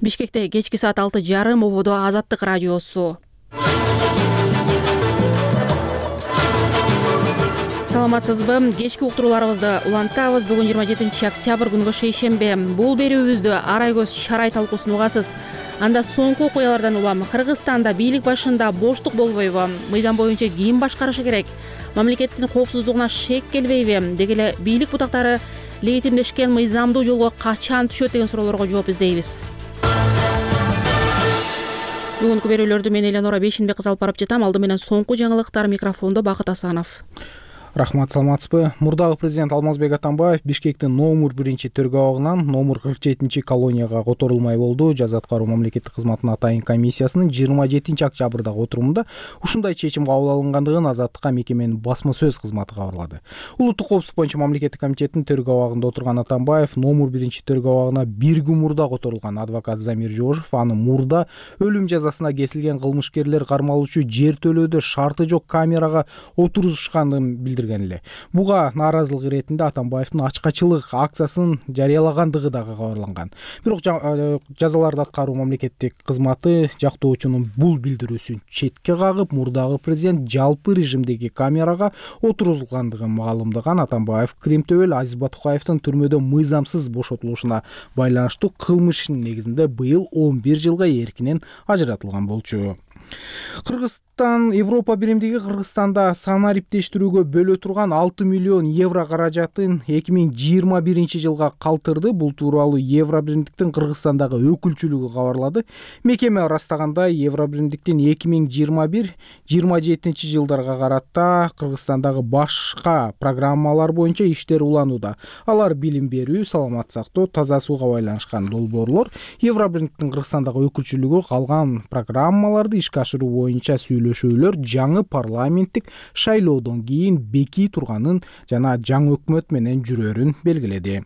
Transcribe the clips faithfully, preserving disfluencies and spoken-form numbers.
Бишкекте кечки саат алты жарым ободо Азаттык радиосу. Саламатсызбы? Кечки уктурууларыбызды улантабыз. Бүгүн жыйырма жетинчи октябрь күнгө шейшембе. Бул берүүбүздө арай көз чарай талкуусун угасыз. Анда соңку окуялардан улам Кыргызстанда бийлик башында боштук болбойбу? Мыйзам боюнча ким башкарышы керек? Мамлекеттин коопсуздугуна шек келбейби? Деги эле бийлик бутактары легитимдешкен мыйзамдуу жолго качан түшөт деген суроолорго жооп издейбиз. Бүгүнкү берүүлөрдү мен Эленора Бейшенбек кызы алып барып жатам. Алды менен соңку жаңылыктар, микрофондо Бакыт Асанов. Рахмат, саламатсызбы? Мурдагы президент Алмазбек Атамбаев Бишкектин номер биринчи төргө абагынан номер кырк жетинчи колонияга которулмай болду. Жаза аткаруу мамлекеттик кызматына атайын комиссиясынын жыйырма жетинчи октябрдагы отурумунда ушундай чечим кабыл алынгандыгын Азаттыкка мекеменин басма сөз кызматы кабарлады. Улуттук коопсуздук боюнча мамлекеттик комитеттин төргө абагында отурган Атамбаев номер биринчи төргө абагына бир күн мурда которулган адвокат Замир Жошев аны мурда өлүм жазасына кесилген кылмышкерлер кармалуучу жер төлөөдө шарты жок камерага отурузушканын билдирди. Буга нааразылык иретинде Атамбаевдин ачкачылык акциясын жарыялагандыгы дагы кабарланган. Бирок жазаларды аткаруу мамлекеттик кызматы жактоочунун бул билдирүүсүн четке кагып, мурдагы президент жалпы режимдеги камерага отурузулгандыгын маалымдаган Атамбаев Кримтөбөл Азиз Батукаевдин түрмөдө мыйзамсыз бошотулушуна байланыштуу кылмыштын негизинде быйыл он бир жылга эркинен ажыратылган болчу. Кыргызстан Европа биримдиги Кыргызстанда санариптештирүүгө бөлө турган алты миллион евро каражатын эки миң жыйырма биринчи жылга калтырды. Бул тууралуу Евро биримдиктин Кыргызстандагы өкүлчүлүгү кабарлады. Мекеме ырастагандай, Евро биримдиктин эки миң жыйырма бир жыйырма жетинчи жылдарга карата Кыргызстандагы башка программалар боюнча иштер уланууда. Алар билим берүү, саламат сактоо, таза сууга байланышкан долбоорлор. Евро биримдиктин Кыргызстандагы өкүлчүлүгү калган программаларды ишке ашыруу боюнча сүйлөшүүлөр жаңы парламенттик шайлоодон кийин бекий турганын жана жаңы өкмөт менен жүрөрүн белгиледи.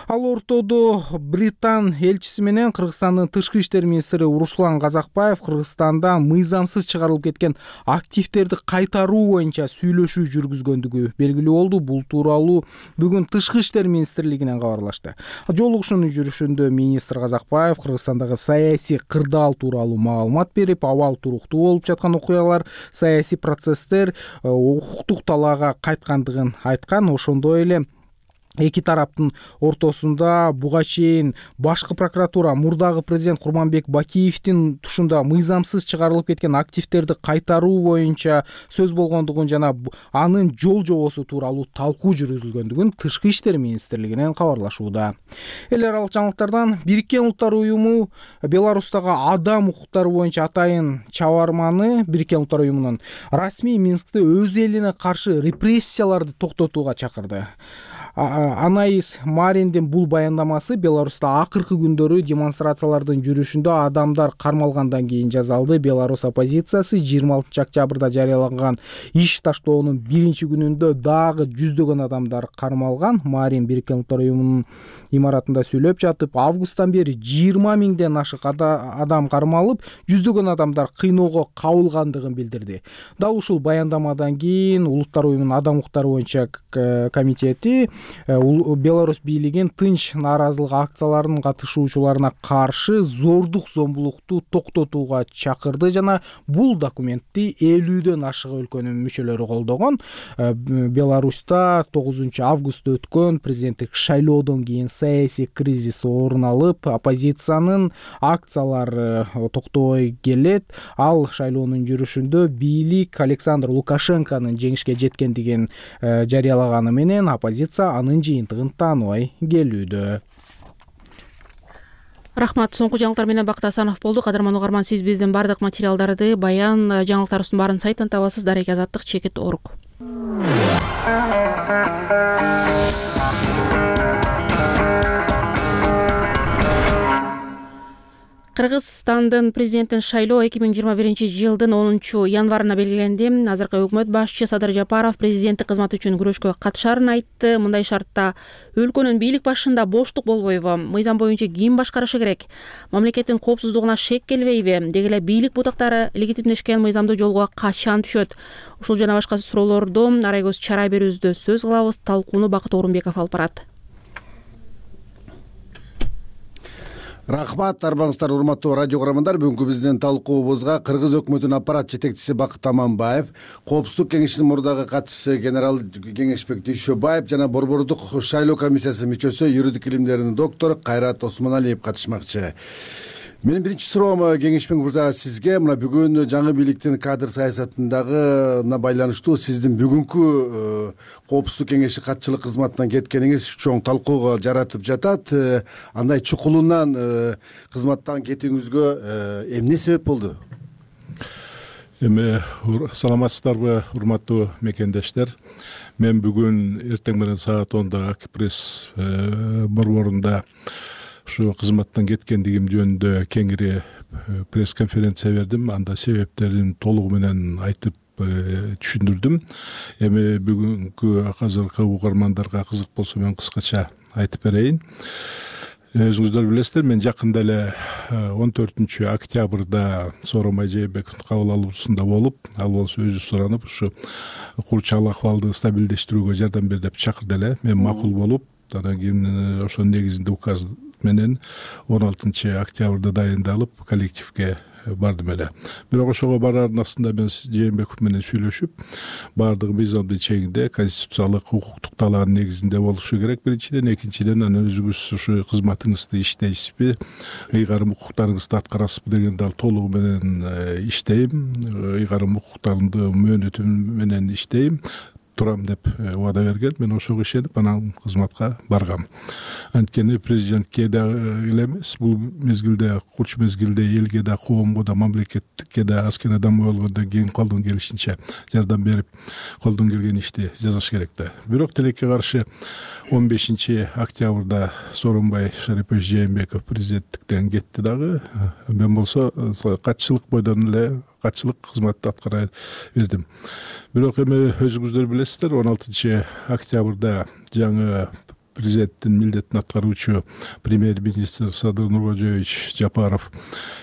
Ал ортодо Британ элчиси менен Кыргызстандын тышкы иштер министри Руслан Казакбаев Кыргызстанда мыйзамсыз чыгарылып кеткен активдерди кайтаруу боюнча сүйлөшүү жүргүзгөндүгү белгилүү болду. Бул тууралуу бүгүн тышкы иштер министрлигинен кабарлашты. Жолугушуунун жүрүшүндө министр Казакбаев Кыргызстандагы саясий кырдаал тууралуу маалымат берип, абал туруктуу болуп жаткан окуялар, саясий процесстер укуктук талаага кайткандыгын айткан. Ошондой эле эки тараптын ортосунда буга чейин башкы прокуратура мурдагы президент Курманбек Бакиевдин тушунда мыйзамсыз чыгарылып кеткен активдерди кайтаруу боюнча сөз болгондугун жана анын жол жобосу тууралуу талкуу жүргүзүлгөндүгүн тышкы иштер министрлигинен кабарлашууда. Эл аралык жаңылыктардан Бириккен Улуттар уюму Беларустагы адам укуктары боюнча атайын чабарманы Бириккен Улуттар уюмунун расмий Минскте өз элине каршы репрессияларды токтотууга чакырды. Анаис Мариндин бул баяндамасы Беларуста акыркы күндөрү демонстрациялардын жүрүшүндө адамдар кармалгандан кийин жасалды. Беларус оппозициясы жыйырма алтынчы октябрда жарыялаган иш таштоонун биринчи күнүндө дагы жүздөгөн адамдар кармалган. Марин Бириккен Улуттар уюмунун имаратында сүйлөп жатып, августтан бери жыйырма миңден ашык адам кармалып, жүздөгөн адамдар кыйноого кабылгандыгын билдирди. Дал ушул баяндамадан кийин Улуттар уюмунун адам укуктары боюнча комитети Беларусь бийлигин тынч нааразылык акцияларынын катышуучуларына каршы зордук зомбулукту токтотууга чакырды жана бул документти элүүдөн ашык өлкөнүн мүчөлөрү колдогон. Беларуста тогузунчу августта өткөн президенттик шайлоодон кийин саясий кризис орун алып, оппозициянын акциялары токтобой келет. Ал шайлоонун жүрүшүндө бийлик Александр Лукашенконун жеңишке жеткендигин жарыялаганы менен оппозиция анын жыйынтыгын тааныбай келүүдө. Рахмат. Соңку жаңылыктар менен Бакыт Асанов болду. Кадырман угарман, сиз биздин бардык материалдарды, баян жаңылыктарыбыздын баарын сайттан табасыз. Дарек Азаттык чекит орг. Кыргызстандын президенттин шайлоо эки миң жыйырма биринчи жылдын онунчу январына белгиленди. Азыркы өкмөт башчысы Садыр Жапаров президенттик кызмат үчүн күрөшкө катышарын айтты. Мындай шартта өлкөнүн бийлик башында боштук болбойбу? Мыйзам боюнча ким башкарышы керек? Мамлекеттин коопсуздугуна шек келбейби? Деги эле бийлик бутактары легитимдешкен мыйзамдуу жолго качан түшөт? Ушул жана башка суроолорду арай көз чарай берүүбүздө сөз кылабыз. Талкууну Бакыт Орунбеков алып барат. Рахмат, арбаңыздар урматтуу радио көрөрмандар. Бүгүнкү биздин талкуубузга Кыргыз өкмөтүнүн аппарат жетекчиси Бакыт Аманбаев, Коопсуздук кеңешинин мурдагы катчысы генерал Кеңешбек Дүйшөбаев жана Борбордук шайлоо комиссиясынын мүчөсү, юридик илимдеринин доктору Кайрат Осмоналиев катышмакчы. Менин биринчи суроом Кеңешбек мырза сизге. Мына бүгүн жаңы бийликтин кадр саясатындагына байланыштуу сиздин бүгүнкү Коопсуздук кеңеши катчылык кызматынан кеткениңиз чоң талкууга жаратып жатат. Андай чукулунан кызматтан кетүүңүзгө эмне себеп болду? Эми саламатсыздарбы, урматтуу мекендештер. Мен бүгүн эртең менен саат онда Акпресс борборунда ушу кызматтан кеткендигим жөнүндө кеңири пресс-конференция бердим. Анда себептерин толугу менен айтып түшүндүрдүм. Эми бүгүнкү азыркы угармандарга кызык болсо мен кыскача айтып берейин. Өзүңүздөр билесиздер, мен жакында эле он төртүнчү октябрда Сооронбай Жээнбековдун кабыл алуусунда болуп, ал болсо өзү суранып, ушу курчал акыбалды стабилдештирүүгө жардам бер деп чакырды эле. Мен макул болуп, анан кийин ошонун негизинде указ менен он алтынчы октябрда дайындалып коллективге бардым эле. Бирок ошого барардын астында мен Жээнбеков менен сүйлөшүп, баардыгы мыйзамдын чегинде, конституциялык укуктук талаанын негизинде болушу керек биринчиден, экинчиден анан өзүңүз ушу кызматыңызды иштейсизби, ыйгарым укуктарыңызды аткарасызбы дегенде ал толугу менен иштейм, ыйгарым укуктарымды мөөнөтүм менен иштейм, турам деп убада берген. Мен ошого ишенип анан кызматка баргам. Анткени президентке да эле эмес, бул мезгилде, курч мезгилде элге да, коомго да, мамлекетке да аскер адам болгондон кийин колдон келишинче жардам берип, колдон келген ишти жасаш керек да. Бирок тилекке каршы он бешинчи октябрда Сооронбай Шарипович Жээнбеков президенттиктен кетти дагы. Мен болсо катчылык бойдон эле катчылык кызматты аткара бердим. Бирок эми өзүңүздөр билесиздер, он алтынчы октябрда жаңы президенттин милдетин аткаруучу премьер-министр Садыр Нуркожоевич Жапаров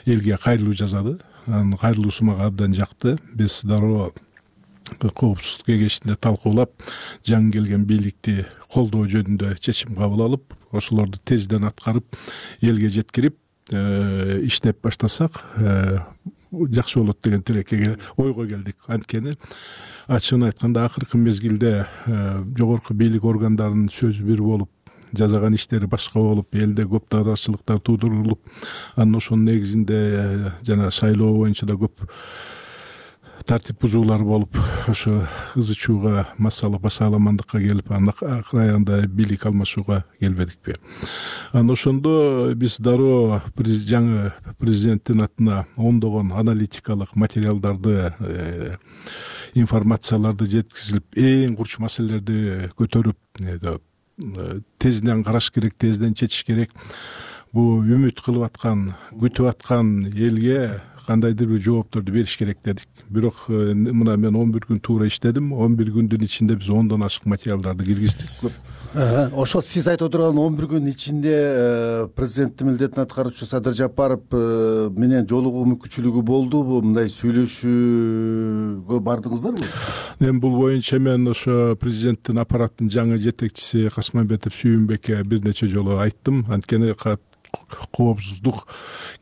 элге кайрылуу жасады. Анын кайрылуусу мага абдан жакты. Биз дароо Коопсуздук кеңешинде талкуулап, жаңы келген бийликти колдоо жөнүндө чечим кабыл алып, ошолорду тезден аткарып, элге жеткирип, иштеп баштасак жакшы болот деген тилекке ойго келдик. Анткени ачыгын айтканда акыркы мезгилде жогорку бийлик органдарынын сөзү бир болуп, жасаган иштери башка болуп, элде көп наразычылыктар туудурулуп, анан ошонун негизинде жана шайлоо боюнча да көп тартип бузуулар болуп, ошо ызы чууга, массалык басаламандыкка келип, анан акыр аягында бийлик алмашууга келбедикпи. Анан ошондо биз дароо жаңы президенттин атына ондогон аналитикалык материалдарды, информацияларды жеткизилип, эң курч маселелерди көтөрүп, тезден караш керек, тезден чечиш керек. Бул үмүт кылып аткан, күтүп аткан элге кандайдыр бир жоопторду бериш керек дедик. Бирок мына мен он бир күн туура иштедим. он бир күндүн ичинде биз ондон ашык материалдарды киргиздик. Ошо сиз айтып отырган он бир күн ичинде президенттин милдетин аткаруучу Садыр Жапаров менен жолугуу мүмкүнчүлүгү болдубу? Мындай сүйлөшүүгө бардыңыздарбы? Эми бул боюнча мен ошо президенттин аппараттын жаңы жетекчиси Касмамбетов Сүйүнбекке бир нече жолу айттым. Анткени Коопсуздук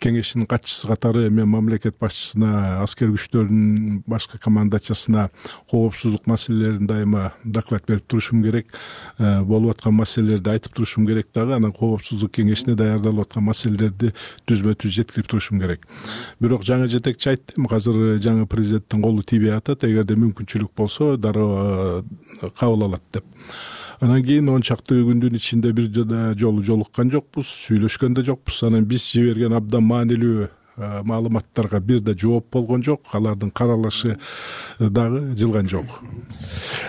кеңешинин катчысы катары мен мамлекет башчысына, аскер күчтөрдүн башкы командачысына коопсуздук маселелерин дайыма доклад берип турушум керек, болуп аткан маселелерди айтып турушум керек дагы, анан коопсуздук кеңешине даярдалып аткан маселелерди түзмө-түз жеткирип турушум керек. Бирок жаңы жетекчи айтты, азыр жаңы президенттин колу тийбей атат, эгерде мүмкүнчүлүк болсо дароо кабыл алат деп. Анан кийин он чакты күндүн ичинде бир жолу жолуккан жокпуз, сүйлөшкөн да жокпуз. Анан биз жиберген абдан маанилүү маалыматтарга бир да жооп болгон жок, алардын каралышы дагы жылган жок.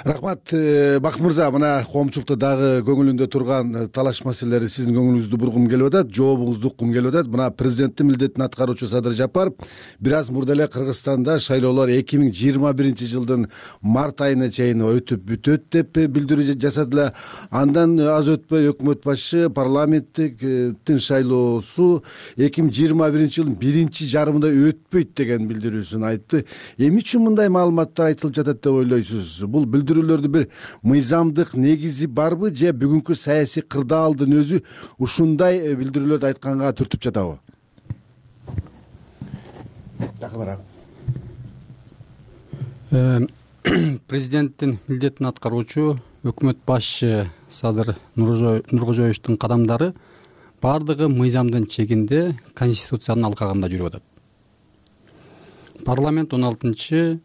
Рахмат, Бакыт мырза, мына коомчулукта дагы көңүлүндө турган талаш маселелери сиздин көңүлүңүздү бургум келип атат, жообуңузду уккум келип атат. Мына президенттин милдетин аткаруучу Садыр Жапаров бир аз мурда эле Кыргызстанда шайлоолор эки миң жыйырма биринчи жылдын март айына чейин өтүп бүтөт деп билдирүү жасадылар. Андан аз өтпөй өкмөт башчы парламенттин шайлоосу эки миң жыйырма биринчи жылдын биринчи жарымында өтпөйт деген билдирүүсүн айтты. Эмне үчүн мындай маалыматтар айтылып жатат деп ойлойсуз? Бул билдирүүлөрдүн бир мыйзамдык негизи барбы же бүгүнкү саясий кырдаалдын өзү ушундай билдирүүлөрдү айтканга түртүп жатабы? Жакыныраак. Президенттин милдетин аткаруучу өкмөт башчы Садыр Нуркожоевичтин кадамдары бардыгы мыйзамдын чегинде, конституциянын алкагында жүрүп атат. Парламент он алтынчы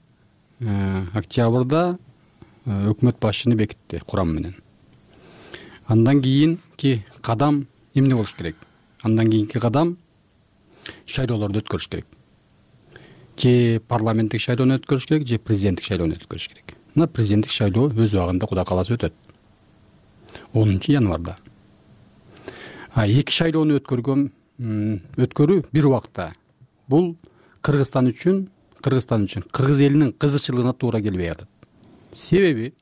октябрда өкмөт башчыны бекитти курам менен. Андан кийинки кадам эмне болуш керек? Андан кийинки кадам шайлоолорду өткөрүш керек. Же парламенттик шайлоону өткөрүш керек, же президенттик шайлоону өткөрүш керек. Мына президенттик шайлоо өз убагында Кудай кааласа өтөт. онунчу январда. А эки шайлоону өткөргөн өткөрүү бир убакта. Бул Кыргызстан үчүн, Кыргызстан үчүн, кыргыз элинин кызыкчылыгына туура келбей атат. Себеби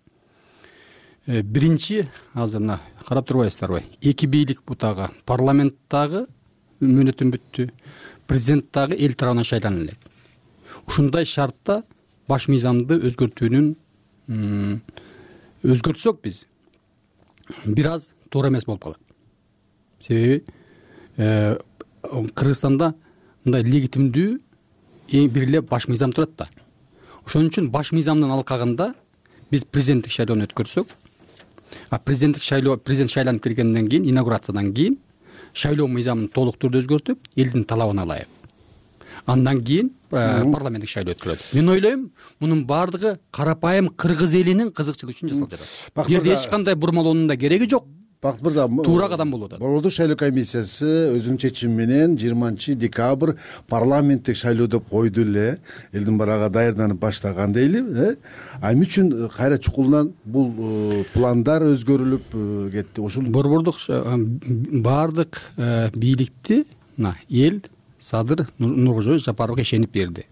биринчи азыр мына карап турбайсыздарбы? Эки бийлик бутагы, парламенттагы мөөнөтүн бүттү, президент дагы эл тарабынан шайлана элек. Ушундай шартта баш мыйзамды өзгөртүүнүн өзгөртсөк биз бир аз туура эмес болуп калат. Себеби Кыргызстанда мындай легитимдүү эң бир эле баш мыйзам турат да. Ошон үчүн баш мыйзамдын алкагында биз президенттик шайлоону өткөрсөк, а президенттик шайлоо президент шайланып келгенден кийин, инаугурациядан кийин шайлоо мыйзамын толук түрдө өзгөртүп, элдин талабына ылайык. Андан кийин парламенттик шайлоо өткөрүлөт. Мен ойлойм, мунун бардыгы карапайым кыргыз элинин кызыкчылыгы үчүн жасалып жатат. Бул жерде эч кандай бурмалоонун да кереги жок. Бакыт мырза, туура кадам болуп атат. Борбордук шайлоо комиссиясы өзүнүн чечими менен жыйырманчы декабрь парламенттик шайлоо деп койду эле. Элдин барага даярданып баштаган дейли, э? А эмне үчүн кайра чукулунан бул пландар өзгөрүлүп кетти? Ошол борбордук бардык бийликти мына эл Садыр Нуркожоевич Жапаровго ишенип берди.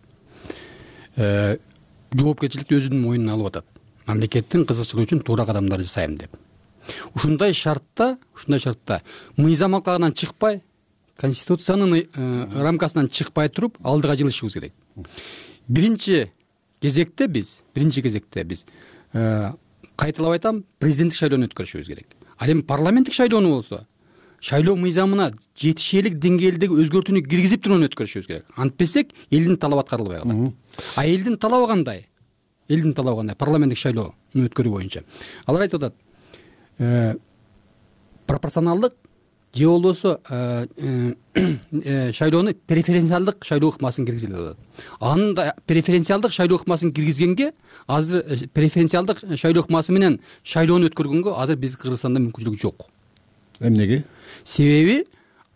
Жоопкерчиликти өзүнүн мойнуна алып атат. Мамлекеттин кызыкчылыгы үчүн туура кадамдар жасайм деп. Ушундай шартта, ушундай шартта мыйзам алкагынан чыкпай, конституциянын рамкасынан чыкпай туруп алдыга жылышыбыз керек. Биринчи кезекте биз, биринчи кезекте биз кайталап айтам, президенттик шайлоону өткөрүшүбүз керек. Ал эми парламенттик шайлоону болсо, шайлоо мыйзамына жетишээлик деңгээлдеги өзгөртүүнү киргизип туруп өткөрүшүбүз керек. Антпесек элдин талабы аткарылбай калат. А элдин талабы кандай? Элдин талабы кандай? Парламенттик шайлоону өткөрүү боюнча. Алар айтып атат, пропорционалдык же болбосо шайлоону преференциалдык шайлоо ыкмасын киргизели деп атат. Анын да преференциалдык шайлоо ыкмасын киргизгенге, азыр преференциалдык шайлоо ыкмасы менен шайлоону өткөргөнгө азыр биз Кыргызстанда мүмкүнчүлүк жок. Эмнеге? Себеби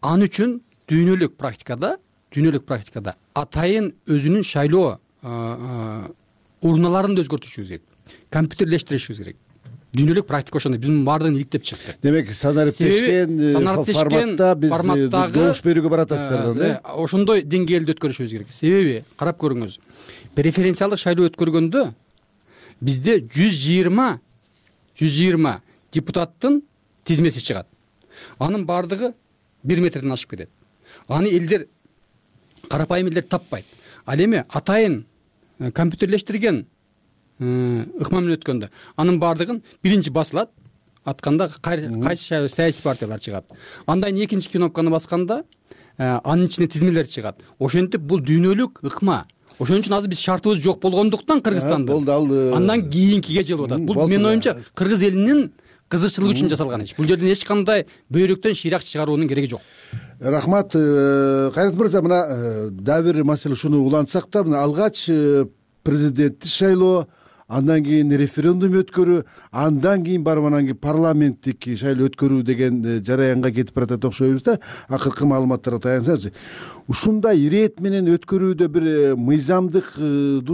ал үчүн дүйнөлүк практикада, дүйнөлүк практикада атайын өзүнүн шайлоо урналарын да өзгөртүшүбүз керек. Компьютерлештиришибиз керек. Дүйнөлүк практика ошондой. Биз мунун баардыгын иликтеп чыкты. Демек, санариптешкен форматта биз добуш берүүгө баратасыздар да? Ошондой деңгээлде өткөрүшүбүз керек. Себеби, карап көрүңүз, преференциалдык шайлоо өткөргөндө бизде жүз жыйырма жүз жыйырма депутаттын тизмеси чыгат. Анын бардыгы бир метрден ашып кетет. Аны элдер, карапайым элдер таппайт. Ал эми атайын компьютерлештирген ыкма менен өткөндө анын бардыгын биринчи басылат, атканда кайсы саясий партиялар чыгат. Андан кийин экинчи кнопканы басканда анын ичине тизмелер чыгат. Ошентип бул дүйнөлүк ыкма. Ошон үчүн азыр биз шартыбыз жок болгондуктан Кыргызстанда андан кийинкиге жылып атат. Бул менин оюмча кыргыз элинин кызыкчылыгы үчүн жасалган иш. Бул жерден эч кандай бөйрөктөн шыйрак чыгаруунун кереги жок. Рахмат. Кайрат мырза, мына дагы бир маселе ушуну улантсак да, мына алгач президенттик шайлоо, андан кийин референдум өткөрүү, андан кийин барып анан кийин парламенттик шайлоо өткөрүү деген жараянга кетип баратат окшойбуз да. Акыркы маалыматтарга таянсачы. Ушундай ирет менен өткөрүүдө бир мыйзамдык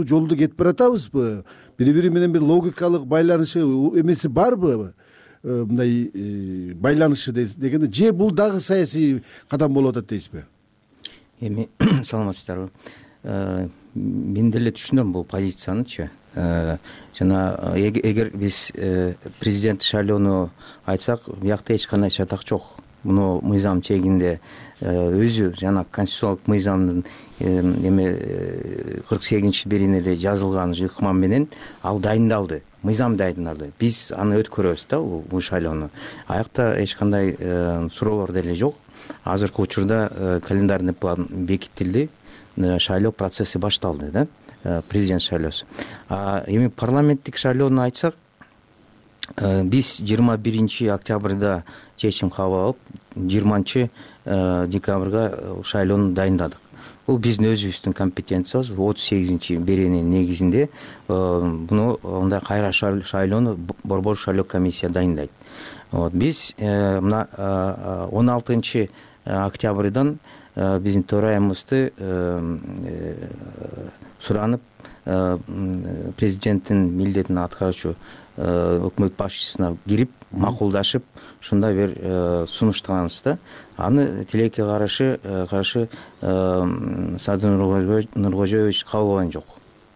жолду кетип баратабызбы? Бири-бири менен бир логикалык байланышы эмеси барбы? Мындай байланышы дегенде, же бул дагы саясий кадам болуп атат дейсизби? Эми саламатсыздарбы? Мен деле түшүнөм бул позициянычы. Жана эгер биз президент шайлоону айтсак, биякта эч кандай чатак жок. муну мыйзам чегинде өзү жана конституциялык мыйзамдын эме кырк сегизинчи беренеде жазылган ыкма менен ал дайындалды, мыйзам дайындалды. Биз аны өткөрөбүз да бул шайлоону. Аякта эч кандай суроолор деле жок. Азыркы учурда календарный план бекитилди, шайлоо процесси башталды да, президент шайлоосу. Эми парламенттик шайлоону айтсак, биз жыйырма биринчи октябрда чечим кабыл алып, жыйырманчы декабрга шайлоону дайындадык. Бул биздин өзүбүздүн компетенциябыз. отуз сегизинчи берененин негизинде буну мындай кайра шайлоону борбор шайлоо комиссия дайындайт. Биз мына он алтынчы октябрдан биздин төрайымызды суранып, президенттин милдетин аткаруучу өкмөт башчысына кирип макулдашып, ушундай бир сунуштаганбыз да. Аны тилекке каршы каршы Садыр Нуркожоевич кабыл алган жок.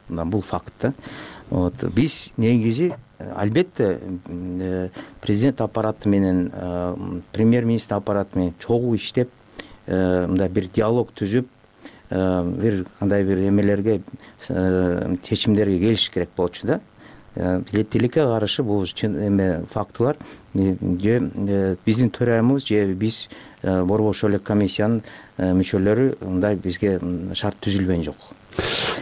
Бул факт да. Биз негизи албетте президент аппараты менен, премьер-министр аппараты менен чогуу иштеп, мындай бир диалог түзүп, бир кандай бир эмелерге, чечимдерге келиш керек болчу да. Тилекке каршы бул эме фактылар же биздин төрайымыбыз же биз борбор шайлоо комиссиянын мүчөлөрү мындай бизге шарт түзүлгөн жок.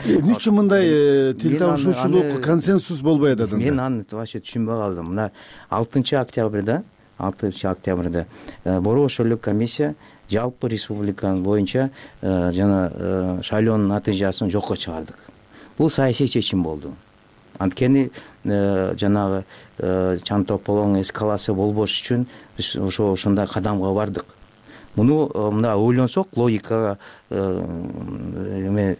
Эмне үчүн мындай тил табышуучулук, консенсус болбой атат? Мен аны вообще түшүнбөй калдым. Мына алтынчы октябрда, алтынчы октябрда борбор шайлоо комиссия жалпы республика боюнча жана шайлоонун натыйжасын жокко чыгардык. Бул саясий чечим болду. Анткени жанагы чаң тополоң эскалация болбош үчүн биз ошо ошондой кадамга бардык. Муну мына ойлонсок, логикага эме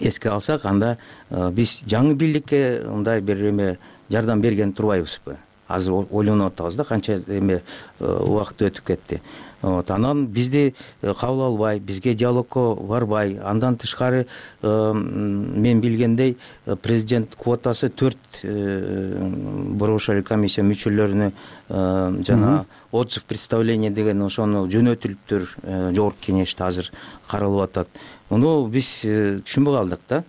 эске алсак, анда биз жаңы бийликке мындай бир эме жардам берген турбайбызбы? Азыр ойлонуп атабыз да, канча эме убакыт өтүп кетти. Анан бизди кабыл албай, бизге диалогко барбай, андан тышкары мен билгендей президент квотасы төрт борбор шайлоо комиссия мүчөлөрүнө жана отзыв представление деген ошону жөнөтүлүптүр, жогорку кеңеште азыр каралып атат. Муну биз түшүнбөй калдык да.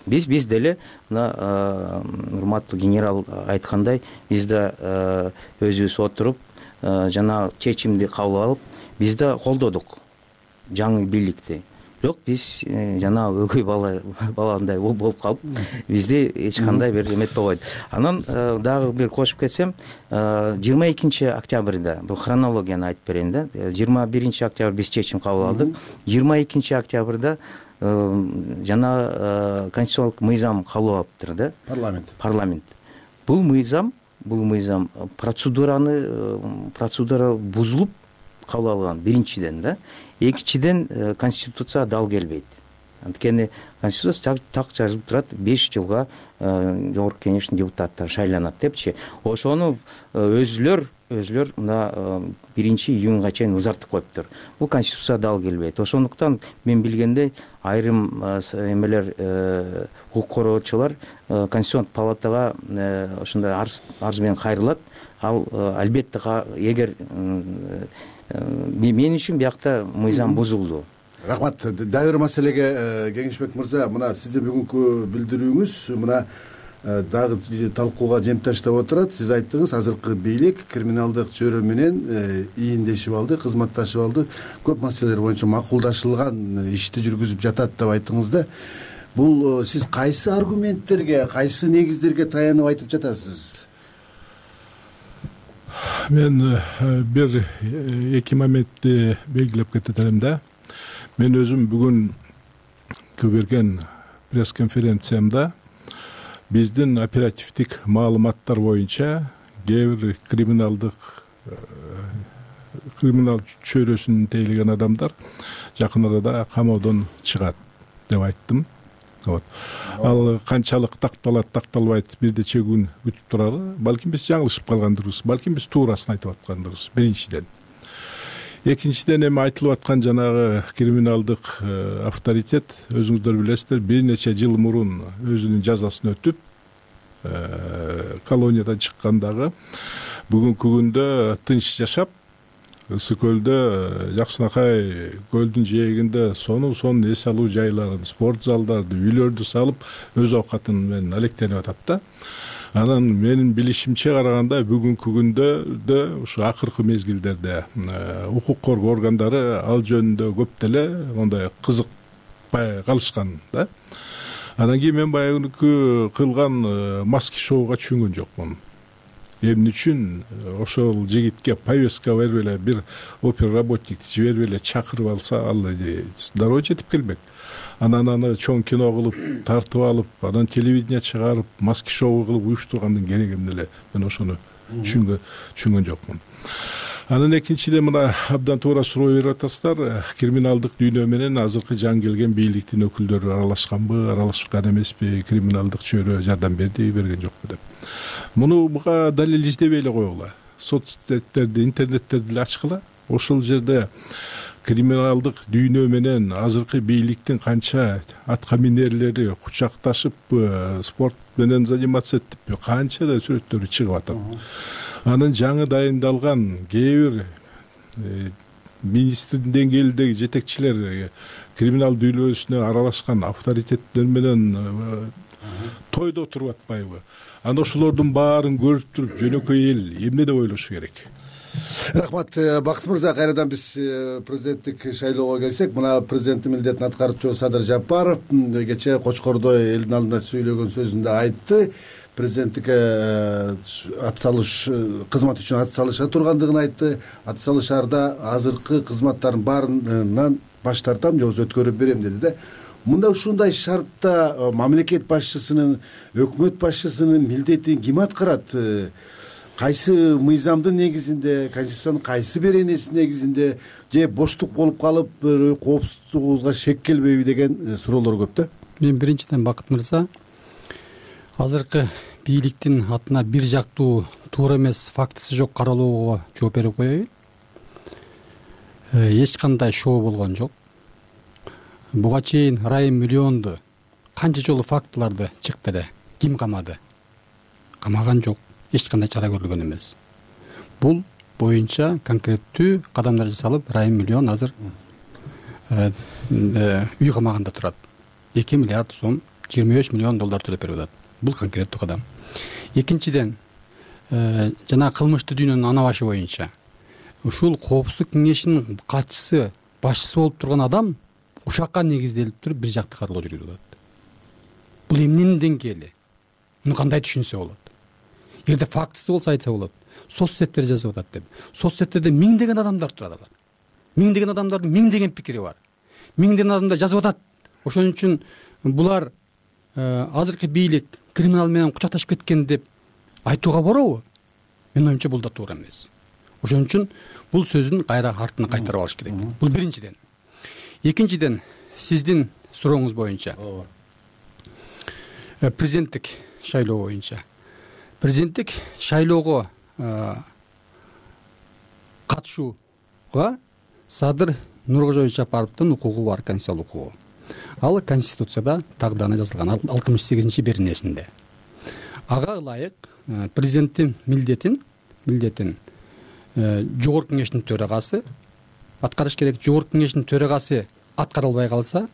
Биз биз деле мына урматтуу генерал айткандай, биз да өзүбүз отуруп жана чечимди кабыл алып, биз да колдодук жаңы бийликти. Бирок биз жана өгөй бала баландай болуп калып, бизди эч кандай бир эметпей койду. Анан дагы бир кошуп кетсем, жыйырма экинчи октябрда, бул хронологияны айтып берейин да. жыйырма биринчи октябрь биз чечим кабыл алдык. жыйырма экинчи октябрда жана конституциялык мыйзам кабыл алыптыр да. Парламент. Парламент. Бул мыйзам, бул мыйзам процедураны процедура бузулуп кабыл алган биринчиден да. Экинчиден конституция дал келбейт. Анткени конституция так жазылып турат, беш жылга жогорку кеңештин депутаттары шайланат депчи. Ошону өзүлөр өзүлөр мына биринчи июнга чейин узартып коюптур. Бул конституция дал келбейт. Ошондуктан мен билгендей айрым эмелер, укук коргоочулар Конституцион палатага ошондой арыз менен кайрылат. Ал албетте эгер мен үчүн биякта мыйзам бузулду. Рахмат. Дагы бир маселеге Кеңешбек мырза, мына сиздин бүгүнкү билдирүүңүз мына дагы талкууга жем таштап отурат. Сиз айттыңыз, азыркы бийлик криминалдык чөйрө менен ийиндешип алды, кызматташып алды, көп маселелер боюнча макулдашылган ишти жүргүзүп жатат деп айттыңыз да. Бул сиз кайсы аргументтерге, кайсы негиздерге таянып айтып жатасыз? Мен бир эки моментти белгилеп кетем да. Мен өзүм бүгүн берген пресс-конференциямда биздин оперативдик маалыматтар боюнча кээ бир криминалдык криминал чөйрөсүн тейлеген адамдар жакын арада камоодон чыгат деп айттым. Вот. Ал канчалык такталат, такталбайт бир нече күн өтүп турары. Балким биз жаңылышып калгандырбыз, балким биз туурасын айтып аткандырбыз. Биринчиден. Экинчиден эми айтылып аткан жанагы криминалдык авторитет, өзүңүздөр билесиздер, бир нече жыл мурун өзүнүн жазасын өтүп, колониядан чыккандагы бүгүнкү күндө тынч жашап, ысык көлдө жакшынакай көлдүн жээгинде сонун сонун эс алуу жайларын, спорт залдарды, үйлөрдү салып өз оокатын менен алектенип атат да. Анан менин билишимче караганда бүгүнкү күндө да ушу акыркы мезгилдерде укук коргоо органдары ал жөнүндө көп деле мондай кызыкпай калышкан да. Анан кийин мен баягы кылган маски шоуга түшүнгөн жокмун. Эмне үчүн ошол жигитке повестка берип эле бир опер работникти жиберип эле чакырып алса, ал дароо жетип келбек. Анан аны чоң кино кылып, тартып алып, анан телевидение чыгарып, маски шоу кылып уюштургандын кереги эмне эле? Мен ошону түшүнгөн түшүнгөн жокмун. Анан экинчиден мына абдан туура суроо берип атасыздар. Криминалдык дүйнө менен азыркы жаңы келген бийликтин өкүлдөрү аралашканбы, аралашкан эмеспи, криминалдык чөйрө жардам берди, берген жокпу деп. Муну буга далил издебей эле койгула. Соцсеттерди, интернеттерди эле ачкыла. Ошол жерде криминалдык дүйнө менен азыркы бийликтин канча атка минерлери кучакташып спорт менен заниматься этип канча да сүрөттөрү чыгып атат. Анын жаңы дайындалган кээ бир министрдин деңгээлиндеги жетекчилер криминал дүйнөсүнө аралашкан авторитеттер менен тойдо отуруп атпайбы? Анан ошолордун баарын көрүп туруп жөнөкөй эл эмне деп ойлошу керек? Рахмат. Бакыт мырза, кайрадан биз президенттик шайлоого келсек, мына президенттин милдетин аткаруучу Садыр Жапаров кечээ Кочкордо элдин алдында сүйлөгөн сөзүндө айтты. Президенттикке атсалыш, кызмат үчүн атсалыша тургандыгын айтты. Атсалышарда азыркы кызматтардын баарынан баш тартам, же болбосо өткөрүп берем деди да. Мында ушундай шартта мамлекет башчысынын, өкмөт башчысынын милдетин ким аткарат? Кайсы мыйзамдын негизинде, конституциянын кайсы беренесинин негизинде, же боштук болуп калып, коопсуздугубузга шек келбейби деген суроолор көп да. Мен биринчиден Бакыт мырза, азыркы бийликтин атына бир жактуу, туура эмес, фактысы жок каралоого жооп берип коеюн. Эч кандай шоо болгон жок. Буга чейин Райым Миллионду канча жолу фактыларды чыкты эле. Ким камады? Камаган жок. Эч кандай чара көрүлгөн эмес. Бул боюнча конкреттүү кадамдар жасалып, Райым Миллион азыр үй камагында турат. эки миллиард сом, жыйырма беш миллион доллар төлөп берип атат. Бул конкреттүү кадам. Экинчиден, жана кылмыштуу дүйнөнүн ана башы боюнча ушул коопсуздук кеңешинин катчысы, башчысы болуп турган адам ушакка негизделип туруп бир жактуу каралуу жүргүзүп атат. Бул эмненин деңгээли? Муну кандай түшүнсө болот? Эгерде фактысы болсо айтса болот. Соцсеттер жазып атат деп. Соцсеттерде миңдеген адамдар турат алар. Миңдеген адамдардын миңдеген пикири бар. Миңдеген адамдар жазып атат. Ошон үчүн булар азыркы бийлик криминал менен кучакташып кеткен деп айтууга боробу? Менин оюмча бул да туура эмес. Ошон үчүн бул сөзүн кайра артына кайтарып алыш керек. Бул биринчиден. Экинчиден, сиздин сурооңуз боюнча, президенттик шайлоо боюнча, президенттик шайлоого катышууга Садыр Нуркожоевич Жапаровдун укугу бар, конституциялык укугу. Ал конституцияда тагданы жазылган алтымыш сегизинчи беренесинде. Ага ылайык президенттин милдетин милдетин жогорку кеңештин төрагасы аткарыш керек. Жогорку кеңештин төрагасы аткара албай калса,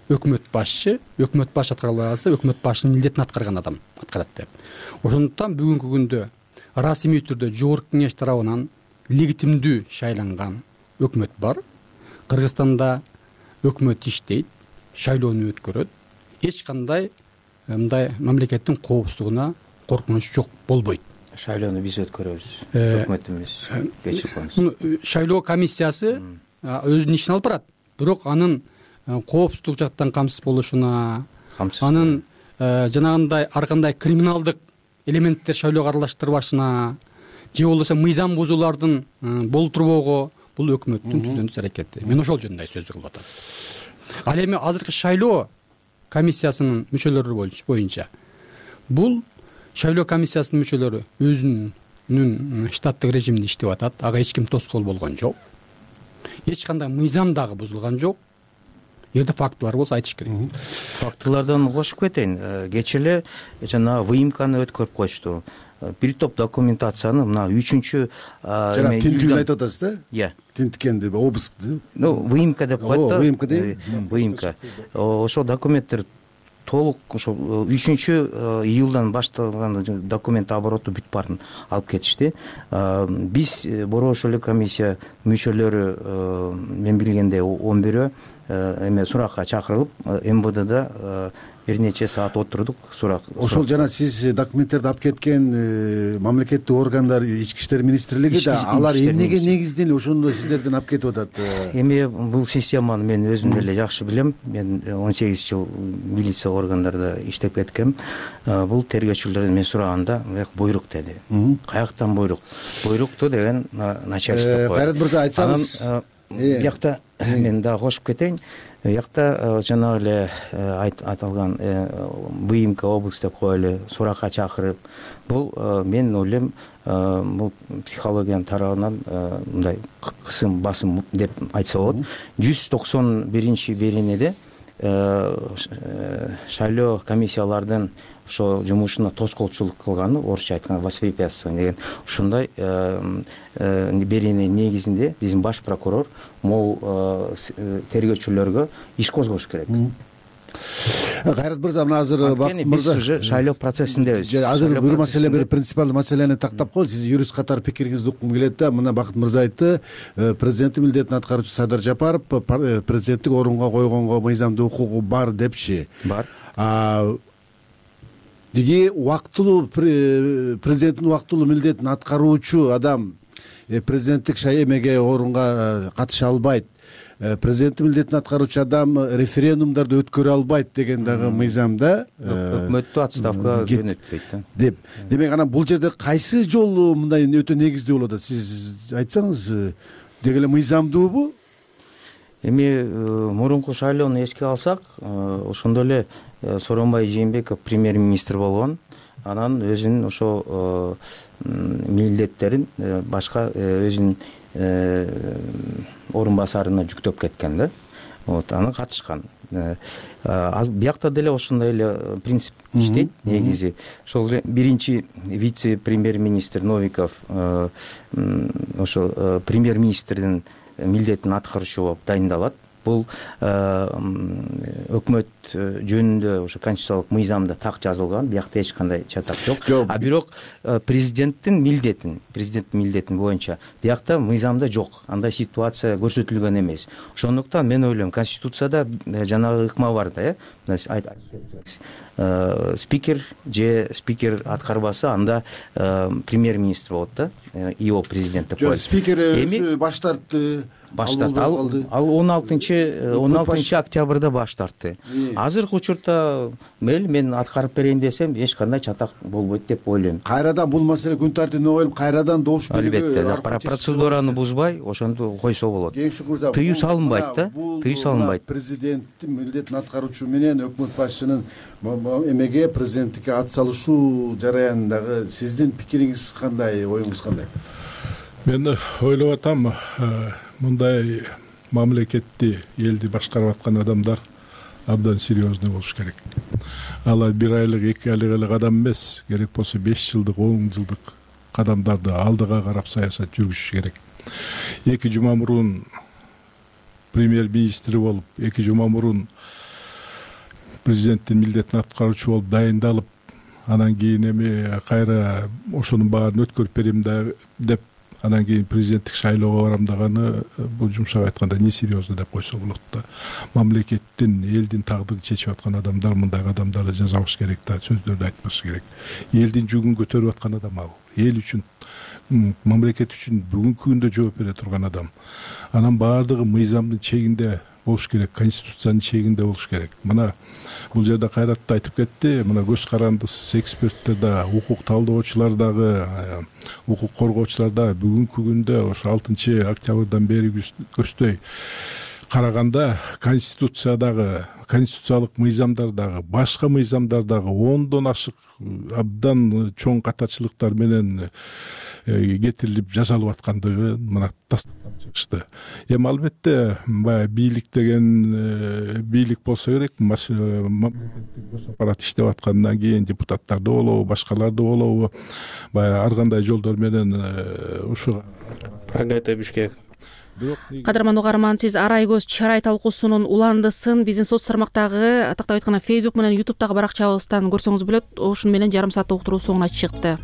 өкмөт башчы, өкмөт баш аткара албай калса, өкмөт башынын милдетин аткарган адам аткарат деп. Ошондуктан бүгүнкү күндө расмий түрдө жогорку кеңеш тарабынан легитимдүү шайланган өкмөт бар. Кыргызстанда өкмөт иштейт, шайлоону өткөрөт. Эч кандай мындай мамлекеттин коопсуздугуна коркунуч жок болбойт. Шайлоону биз өткөрөбүз, өкмөт эмес. Кечирип коюңуз. Шайлоо комиссиясы өзүнүн ишин алып барат. Бирок анын коопсуздук жактан камсыз болушуна, анын жанагындай ар кандай криминалдык элементтер шайлоого аралаштырбашына, же болбосо мыйзам бузуулардын болтурбоого бул өкмөттүн түздөн-түз аракети. Мен ошол жөнүндө сөз кылып атам. Ал эми азыркы шайлоо комиссиясынын мүчөлөрү боюнча бул шайлоо комиссиясынын мүчөлөрү өзүнүн штаттык режиминде иштеп атат. Ага эч ким тоскоол болгон жок. Эч кандай мыйзам дагы бузулган жок. Эгерде фактылар болсо айтыш керек. Фактылардан кошуп кетейин. Кечээ эле жана выемканы өткөрүп коюшту. бир топ документацияны мына үчүнчү жана тинтүүнү айтып атасыз да? Иә. Тинткенди, обыскты. Ну, выемка деп коет да. Выемка дейби? Выемка. Ошол документтер толук ошо үчүнчү июлдан башталган документ обороту бүт баарын алып кетишти. Биз Борбор ошолук комиссия мүчөлөрү мен билгенде он бирөө эме суракка чакырылып эм вэ дда бир нече саат отурдук сурак. Ошол жана сиз документтерди алып кеткен мамлекеттик органдар, ички иштер министрлиги да алар эмнеге негизденип ошондо сиздерден алып кетип атат? Эми бул системаны мен өзүм деле жакшы билем. Мен он сегиз жыл милиция органдарда иштеп кеткем. Бул тергөөчүлөрдөн мен сураганда буйрук деди. Каяктан буйрук? Буйрукту деген начальство коет. Кайрат мырза, айтсаңыз. Биякта мен дагы кошуп кетейин. Биякта жанагы эле айтылган выемка, обыск деп коелу, суракка чакырып, бул мен ойлойм, бул психологиянын тарабынан мындай кысым, басым деп айтса болот. жүз токсон биринчи беренеде шайлоо комиссиялардын ошо жумушуна тоскоолчулук кылганы, орусча айтканда воспрепятствование деген ушундай берене негизинде биздин баш прокурор могу тергөөчүлөргө иш козгош керек. Кайрат мырза, мына азыр Бакыт мырза уже шайлоо процессиндебиз. Азыр бир маселе, бир принципиалдуу маселени тактап коелу. Сиз юрист катары пикириңизди уккум келет да. Мына Бакыт мырза айтты, президенттин милдетин аткаруучу Садыр Жапаров президенттик орунга койгонго мыйзамдуу укугу бар депчи. Бар. Диги убактылуу президенттин убактылуу милдетин аткаруучу адам президенттик шаймеге орунга катыша албайт. Президенттин милдетин аткаруучу адам референдумдарды өткөрө албайт деген дагы мыйзамда өкмөттү отставкага жөнөтпөйт да деп. Демек анан бул жерде кайсы жол мындай өтө негиздүү болот? Сиз айтсаңыз, деги эле мыйзамдуубу? Эми мурунку шайлоону эске алсак, ошондо эле Сооронбай Жээнбеков премьер-министр болгон. Анан өзүнүн ошо милдеттерин башка өзүнүн орун басарына жүктөп кеткен да. Вот, аны катышкан. Биякта деле ошондой эле принцип иштейт негизи. Ошол биринчи вице-премьер-министр Новиков ошо премьер-министрдин милдетин аткаруучу болуп дайындалат. Бул өкмөт жөнүндө ошо конституциялык мыйзамда так жазылган, биякта эч кандай чатак жок. А бирок президенттин милдетин, президенттин милдетин боюнча биякта мыйзамда жок. Андай ситуация көрсөтүлгөн эмес. Ошондуктан мен ойлойм, конституцияда жанагы ыкма бар да, э. Спикер же спикер аткарбаса, анда премьер-министр болот да, ИО президент деп коет. Спикер өзү баш тартты. Баш тартты. Ал он алтынчы октябрда баш тартты. Азыркы учурда мел мен аткарып берейин десем, эч кандай чатак болбойт деп ойлойм. Кайрадан бул маселе күн тартибине коюлуп, кайрадан добуш берүүгө албетте процедураны бузбай, ошондо койсо болот. Тыюу салынбайт да, тыюу салынбайт. Президенттин милдетин аткаруучу менен өкмөт башчынын эмеге, президенттикке ат салышуу жараянындагы сиздин пикириңиз кандай, оюңуз кандай? Мен ойлоп атам, мындай мамлекетти, элди башкарып аткан адамдар абдан серьезный болуш керек. Алар бир айлык, эки айлык эле кадам эмес, керек болсо беш жылдык, он жылдык кадамдарды алдыга карап саясат жүргүзүш керек. Эки жума мурун премьер-министри болуп, эки жума мурун президенттин милдетин аткаруучу болуп дайындалып, анан кийин эми кайра ошонун баарын өткөрүп берем деп, анан кийин президенттик шайлоого барам даганы, бул жумшак айтканда несерьезно деп койсо болот да. Мамлекеттин, элдин тагдырын чечип аткан адамдар мындай адамдарды жазабаш керек да, сөздөрдү айтпаш керек. Элдин жүгүн көтөрүп аткан адам ал. Эл үчүн, мамлекет үчүн бүгүнкү күндө жооп бере турган адам. Анан баардыгы мыйзамдын чегинде болуш керек, конституциянын чегинде болуш керек. Мына бул жерде Кайрат да айтып кетти, мына көз карандысыз эксперттер да, укук талдоочулар дагы, укук коргоочулар да бүгүнкү күндө ошо алтынчы октябрдан бери көздөй караганда конституциядагы конституциялык мыйзамдардагы башка мыйзамдардагы ондон ашык абдан чоң катачылыктар менен кетирилип жасалып аткандыгы мына тастыктап чыгышты. Эми албетте баягы бийлик деген бийлик болсо керек, мамлекеттик аппарат иштеп аткандан кийин депутаттар да болобу, башкалар да болобу, баягы ар кандай жолдор менен ушуга АГТ Бишкек. Кадырман угарман, сиз Арай көз чарай талкуусунун уландысын биздин соц тармактагы атактап айтканда Facebook менен YouTube'дагы баракчабыздан көрсөңүз болот. Ошону менен жарым сааттык уктуруу соңуна чыкты.